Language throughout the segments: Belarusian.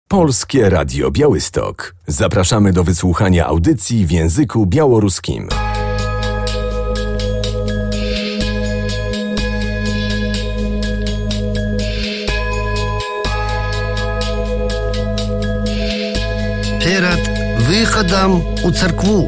Polskie Radio Białystok. Zapraszamy do wysłuchania audycji w języku białoruskim. Перед выходом у церкву.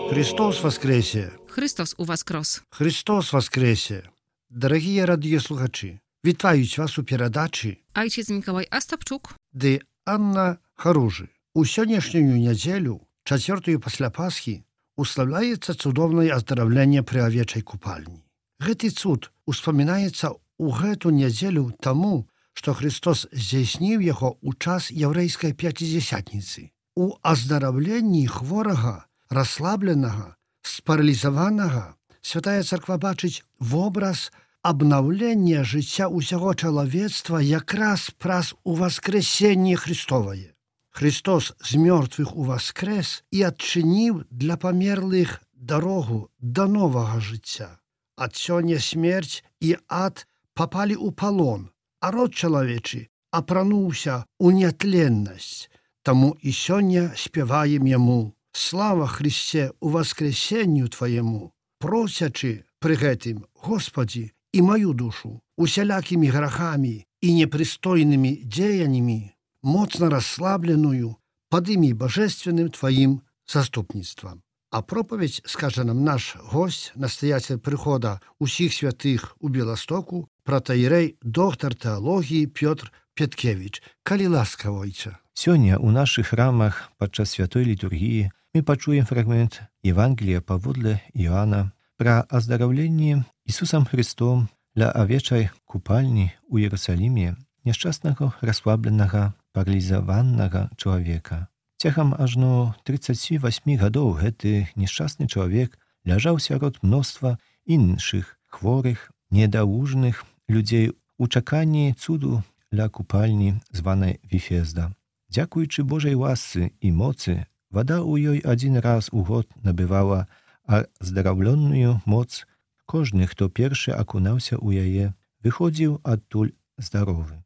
Христос воскресе! Христос у воскрес! Христос воскресе! Дорогі радіослухачі, вітають вас у передачі Ojciec Mikołaj Astapczuk, де Анна Харужи. У сённяшнюю нядзелю, 4 пасля Пасхі, уславляецца цудоўнае аздараўленне пры авечай купальні. Гэты цуд успамінаецца ў гэту нядзелю таму, што Христос здзейсніў яго ў час яўрэйскай пяцідзясятніцы. У аздараўленні хворага, расслабленага, спаралізаванага Святая Царква бачыць вобраз абнаўлення жыцця ўсяго чалавецтва якраз праз уваскрэсенне Христовае. Христос з мёртвых уваскрэс і адчыніў для памерлых дарогу да новага жыцця. Ад сёння смерць і ад папалі ў палон, а род чалавечы апрануўся ў нятленнасць. Таму і сёння спяваем яму: «Слава Христе у воскресенню Твоему», просячы пры гэтым: «Господи, і маю душу усялякімі грахамі і непрыстойнымі дзеяннямі, моцна расслабленую, падымі божественным Твоим заступніцтвам». А проповедь скажа нам наш гость, настоятель прыхода усіх святых у Беластоку, протоіерей, доктор тэалогіі Пётр Петкевич. Калі ласка, ойча. Сёння ў нашых храмах падчас святой літургіі мы пачуем фрагмент Евангелія паводле Іоанна пра аздараўленне Ісусам Христом ля авечай купальні ў Іерусаліме няшчаснага, расслабленага, паралізаванага чалавека. Цягам ажно 38 гадоў гэты няшчасны чалавек ляжаў сярод мноства іншых хворых, недаўжных людзей у чаканні цуду ля купальні, званай Віфезда. Дзякуючы Божай ласцы і моцы, вада ў ёй адзін раз у год набывала аздараўленную моц. Кожны, хто першы акунаўся ў яе, выходзіў адтуль здаровы.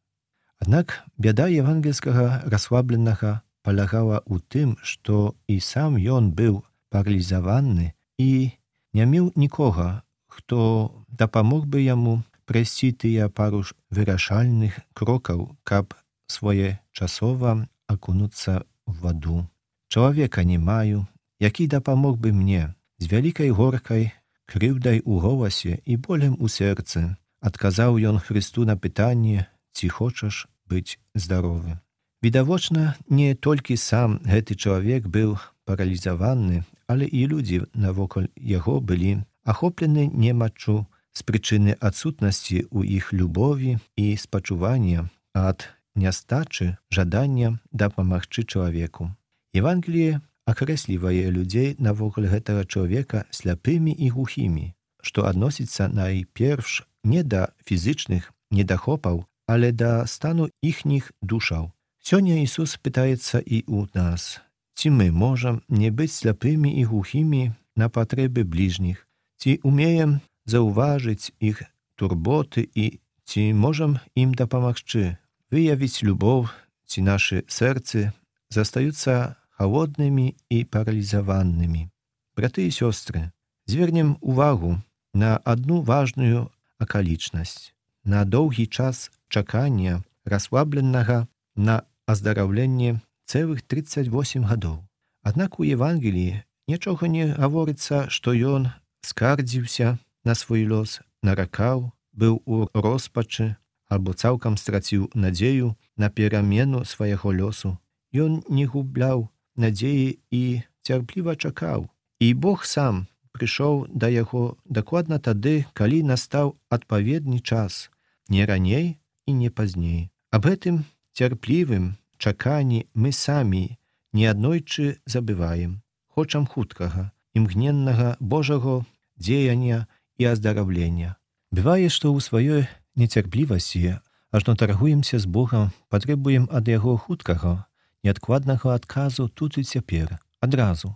Аднак бяда евангельскага расслабленага палягала ў тым, што і сам ён быў паралізаваны і не меў нікога, хто дапамог бы яму прайсці тыя пару вырашальных крокаў, каб своечасова акунуцца ў ваду. «Чалавека не маю, які дапамог бы мне», з вялікай горкай, крыўдай у голасе і болем у сэрцы адказаў ён Хрысту на пытанне: «Ці хочаш быць здаровы?». Відавочна, не толькі сам гэты чалавек быў паралізаваны, але і людзі навокал яго былі ахоплены немаччу з прычыны адсутнасці ў іх любові і спачування ад нястачы жадання дапамагчы чалавеку. Евангеліе акрэслівае людзей навокал гэтага чалавека сляпымі і глухімі, што адносіцца найперш не да фізычных недахопаў, але да стану іхніх душаў. Сёння Ісус пытаецца і ў нас: ці мы можам не быць сляпымі і глухімі на патрэбы бліжніх, ці умеем заўважыць іх турботы і ці можам ім дапамагчы, выявіць любоў, ці нашы сэрцы застаюцца халоднымі і паралізаванымі. Браты і сёстры, звернем увагу на адну важную акалічнасць. На доўгі час чакання расслабленага на аздараўленне цэлых 38 гадоў. Аднак у Евангеліі нічога не гаворыцца, што ён скардзіўся на свой лёс, наракаў, быў у роспачы або цалкам страціў надзею на перамену свайго лёсу. Ён не губляў надзеі і цярпліва чакаў. І Бог сам прыйшоў да яго дакладна тады, калі настаў адпаведны час, не раней і не пазней. Аб гэтым цярплівым чаканні мы самі неаднойчы забываем. Хочам хуткага, імгненнага Божага дзеяння і аздараўлення. Бывае, што ў сваёй нецярплівасці ажно таргуемся з Богам, патрабуем ад яго хуткага, неадкладнага адказу тут і цяпер, адразу.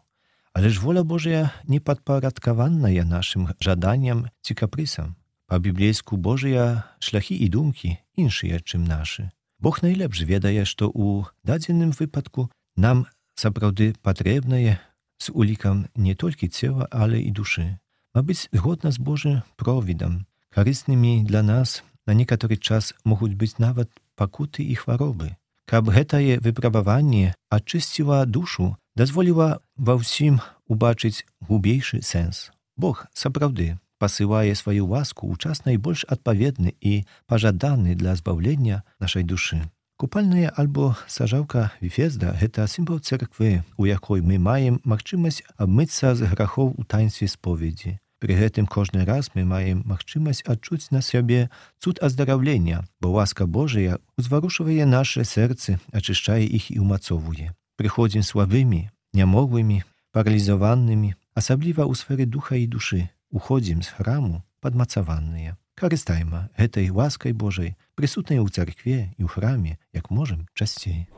Але ж воля Божая не падпарадкаваная нашым жаданням ці капрысам. Па-біблейску Божыя шляхі і думкі іншыя, чым нашы. Бог найлепш ведае, што ў дадзеным выпадку нам сапраўды патрэбнае з улікам не толькі цела, але і душы. Мабыць, згодна з Божым провідам, карыснымі для нас на некаторы час могуць быць нават пакуты і хваробы. Каб гэтае выпрабаванне ачысціла душу, дазволіла ва ўсім убачыць глубейшы сэнс. Бог сапраўды пасылае сваю ласку ў час найбольш адпаведны і пажаданы для збаўлення нашай душы. Купальная альбо сажаўка Віфезда – гэта сімвал царквы, у якой мы маем магчымасць абмыцца з грахоў у таінстве споведзі. Пры гэтым кожны раз мы маем магчымасць адчуць на сябе цуд аздараўлення, бо ласка Божая узварушвае нашы сэрцы, ачышчае іх і ўмацоўвае. Прыходзім слабымі, нямоглымі, паралізаванымі, асабліва ў сферы духа і душы. Уходзім з храму падмацаваныя. Карыстайма гэтай ласкай Божай, прысутнай у царкве і ў храме, як можам часцей.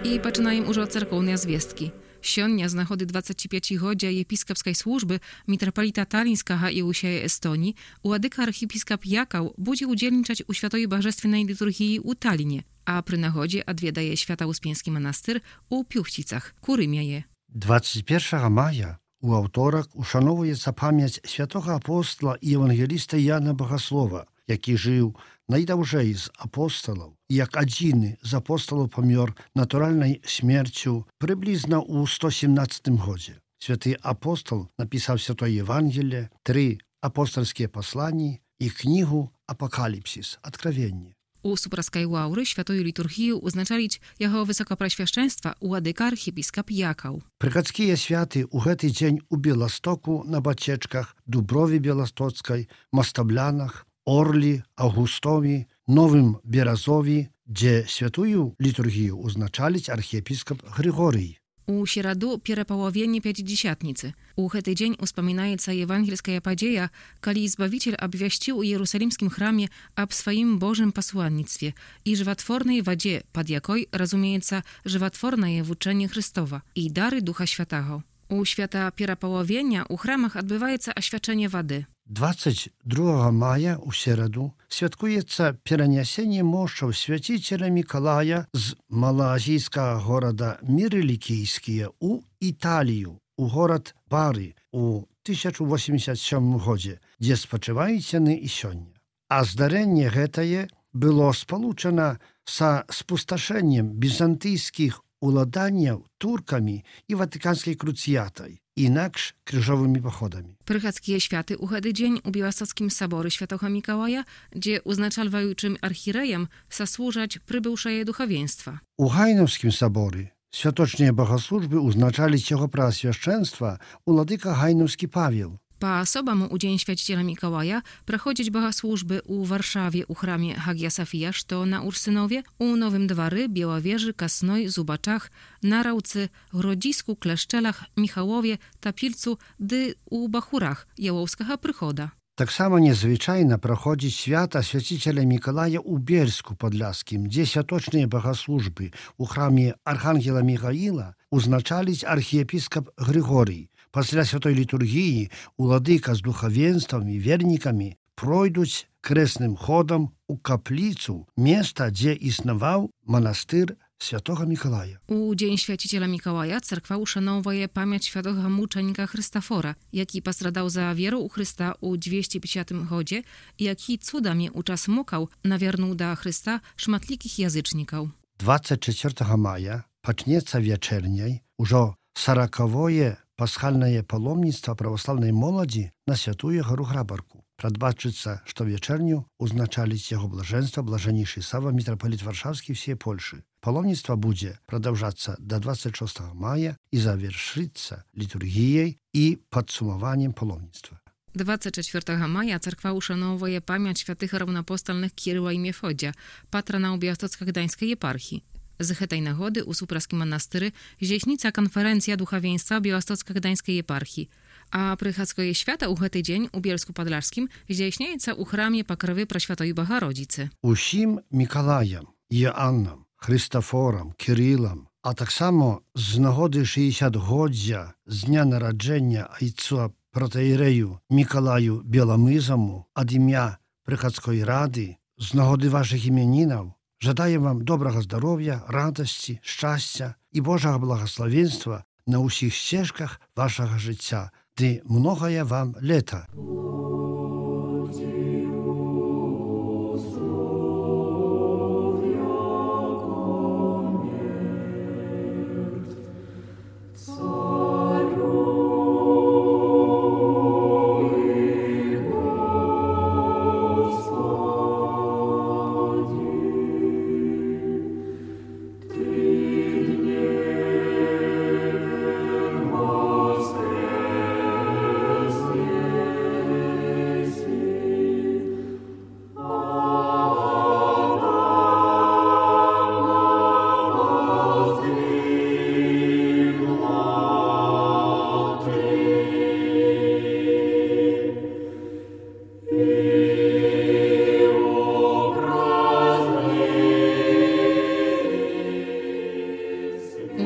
І пачынаем ужо царкоўныя звесткі. Сёння з нагоды 25-годдзя епіскапскай службы мітрапаліта Талінскага і ўсяе Эстонii уладыка архіпіскап Якаў будзе ўдзельнічаць у святой бажественнай літургіі ў Таліне, а пры нагодзе адведае Свята-Успенскі манастыр у Пюхціцах, Курымяе. 21 мая у аўторак ушановуецца памяць святога апостола і евангеліста Яна Багаслова, які жыў найдаўжэй з апосталаў, як адзіны з апосталаў памёр натуральнай смерцю прыблізна ў 117 годзе. Святы апостол напісаў святое Евангелие, 3 апостольскія пасланні і кнігу «Апакаліпсіс» – «Адкравенне». У супраскай лаўры святою літургію ўзначаліць яго высокапрасвяшчэнства уладыка архіпіскап Якаў. Прыхадскія святы ў гэты дзень у Беластоку на бацечках, Дуброве Беластоцкай, Мастаблянах, Орлі, Аўгустові, Новым Беразові, дзе святую літургію ўзначаліць архіепіскап Григорый. У сераду перапалавення Пятидесятніцы. У гэты дзень успамінаецца евангельская падзея, калі Збавіцель абвясціў у Іерусалімскім храме аб сваім Божым пасланніцтве і жыватворнай вадзе, пад якой разумеецца жыватворнае вучэнне Хрыстова і дары Духа Святаго. У свята перапалавення ў храмах адбываецца асвячэнне вады. 22 мая у сераду святкуецца перанясенне мошчаў свяціцеля Мікалая з малаазійскага горада Мірылікійскія ў Італію, у горад Бары у 1087 годзе, дзе спачываюць яны і сёння. А здарэнне гэтае было спалучана са спусташэннем бізантыйскіх уладанняў туркамі і ватыканскай круцыятай, інакш крыжовымі паходамі. Прыхадскія святы ў гэты дзень у Беластоцкім саборы святога Мікалая, дзе узначальваючым архірэям саслужаць прыбыўшае духавенства. У Гайнаўскім саборы святочныя багаслужбы ўзначаліць яго праасвяшчэнства уладыка Гайнаўскі Павел. По-особому у Dzień Święciciela Mikołaja проходять богослужby у Warszawie u храмie Hagia Sofia, что на Урсынове, у Новым Двары, Białowieży, Kasnoj, Zubaczach, Narałcy, Grodzisku, Kleszczelach, Michałowie, Tapilcu, dy u Bachurach, Jałowskiego Prychoda. Так само незвычайна праходзіць свята свяціцеля Мікалая ў Бельску Падляскім, дзе святочныя багаслужбы ў храме Архангела Міхаіла узначаліць архіепіскап Григорій. Пасля святой літургіі уладыка з духавенствам і вернікамі пройдуць крэсным ходам у капліцу, места, дзе існаваў манастыр Святого Mikołaja. U Dzień Święciciela Mikołaja cerkwa uszanowuje pamięć świętego muczenika Chrystofora, jaki postradał za wierę u Chrysta u 250 chodzie i jaki cudami u czas mukał nawiernuł do Chrysta szmatlikich jazyczników. 24 maja пачнецца вечерняй ужо 40-е пасхальнае паломніцтва праваслаўнай моладзі на святую гору Грабарку. Прадбачыцца, што вечерню узначаліць яго блажэнства блажэннейшы Сава, мітрапаліт Варшаўскі всей Польшы. Паломніцтва будзе прадаўжацца до 26 мая і завершыцца літургіяй і падсумаваннем паломніцтва. 24 maja cerkwa uszanowuje pamięć świętych równoapostolnych Kiryła i Miefodzia, patrona Białostocko-Gdańskiej eparchii. Z tej nagody u Supraskim monastyry zdjęśnica konferencja duchowieństwa Białostocko-Gdańskiej eparchii, a prychadzkoje świata u tej dzień u Bielsku Podlaskim zdjęśniejca u chramie Pokrowy Praświatoj Bogorodicy. Усім Мікалаям, Іоаннам, Христофорам, Кирилам, а так само з нагоди 60-годдя з дня народження айцу протоірею Миколаю Беломизому ад ім'я Приходської ради, з нагоди ваших іменінів, жадаю вам доброго здоров'я, радості, щастя і Божого благословенства на усіх стежках вашого життя, де многое вам літа.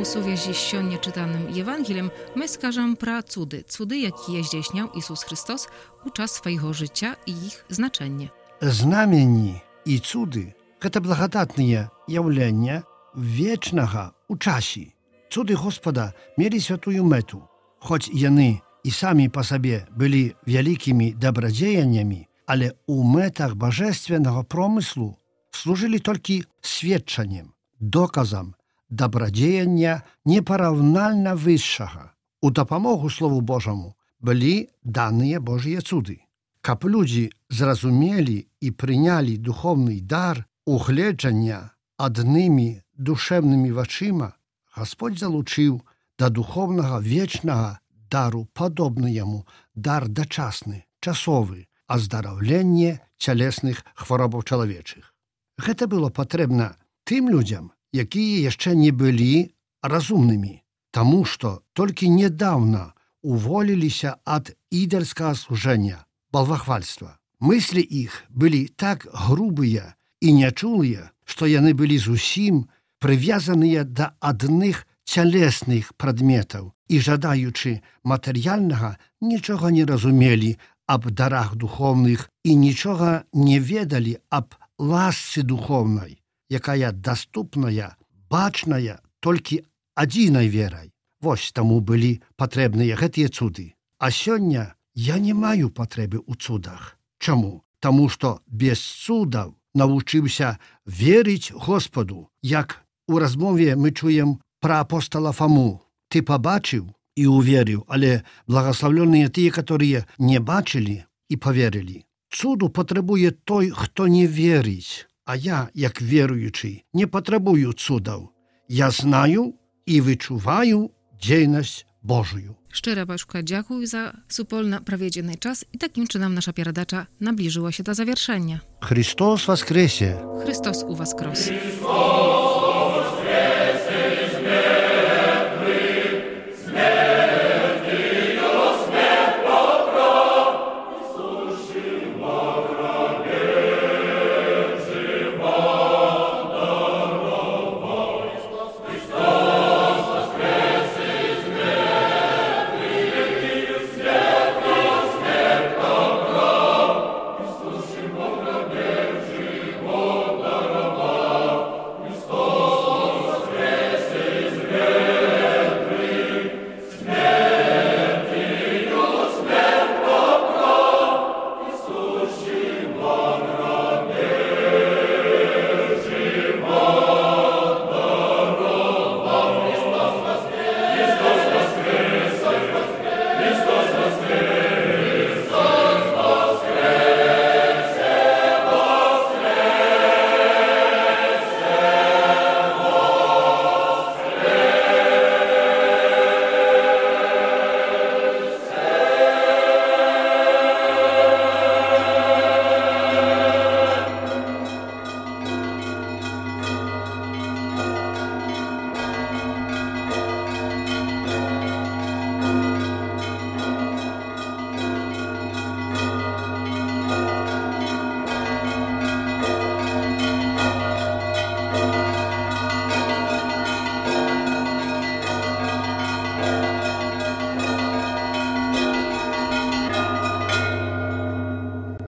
У сувязі з сьогодні читаним Євангелієм ми скажемо про цуди, які здійснив Ісус Христос у час свого життя і їх значення. Знамені і цуди – це благодатні явлення вічного у часі. Цуди Господа мали святую мету, хоч яны і самі по собі були великими добродіяннями, але у метах божественного промислу служили тільки свідченням, доказом добродеяния непоравнально высшего. У допомогу Слову Божому были данные Божьи цуды. Каб люди зразумели и приняли духовный дар угледження одними душевными вачима, Господь залучил до духовного вечного дару подобный ему дар дочасный, часовый, оздоровление телесных хворобов человечих. Это было потребно тем людям, якія яшчэ не былі разумнымі, таму што толькі недавно уволіліся ад ідальскага служэння, балвахвальства. Мыслі іх былі так грубыя і нячулыя, што яны былі зусім прывязаныя да адных цялесных прадметаў і, жадаючы матэрыяльнага, нічога не разумелі аб дарах духовных і нічога не ведалі аб ласцы духовнай, якая доступная, бачная толькі адзінай верай. Вось таму былі патрэбныя гэтыя цуды. А сёння я не маю патрэбы ў цудах. Чаму? Таму што без цудаў навучыўся верыць Господу. Як у размове мы чуем пра апостола Фому. Ты пабачыў і уверыў, але благословленыя тыя, которые не бачылі і поверылі. Цуду патрабуе той, хто не верыць. А я, як веруючий, не потребую цудов. Я знаю і відчуваю дзейнасць Божою. Szczera Baszka, dziękuję za supolno проведенный czas i takim czynem nasza передача наближила się do завершenia. Христос воскресе! Chrystus u was kros.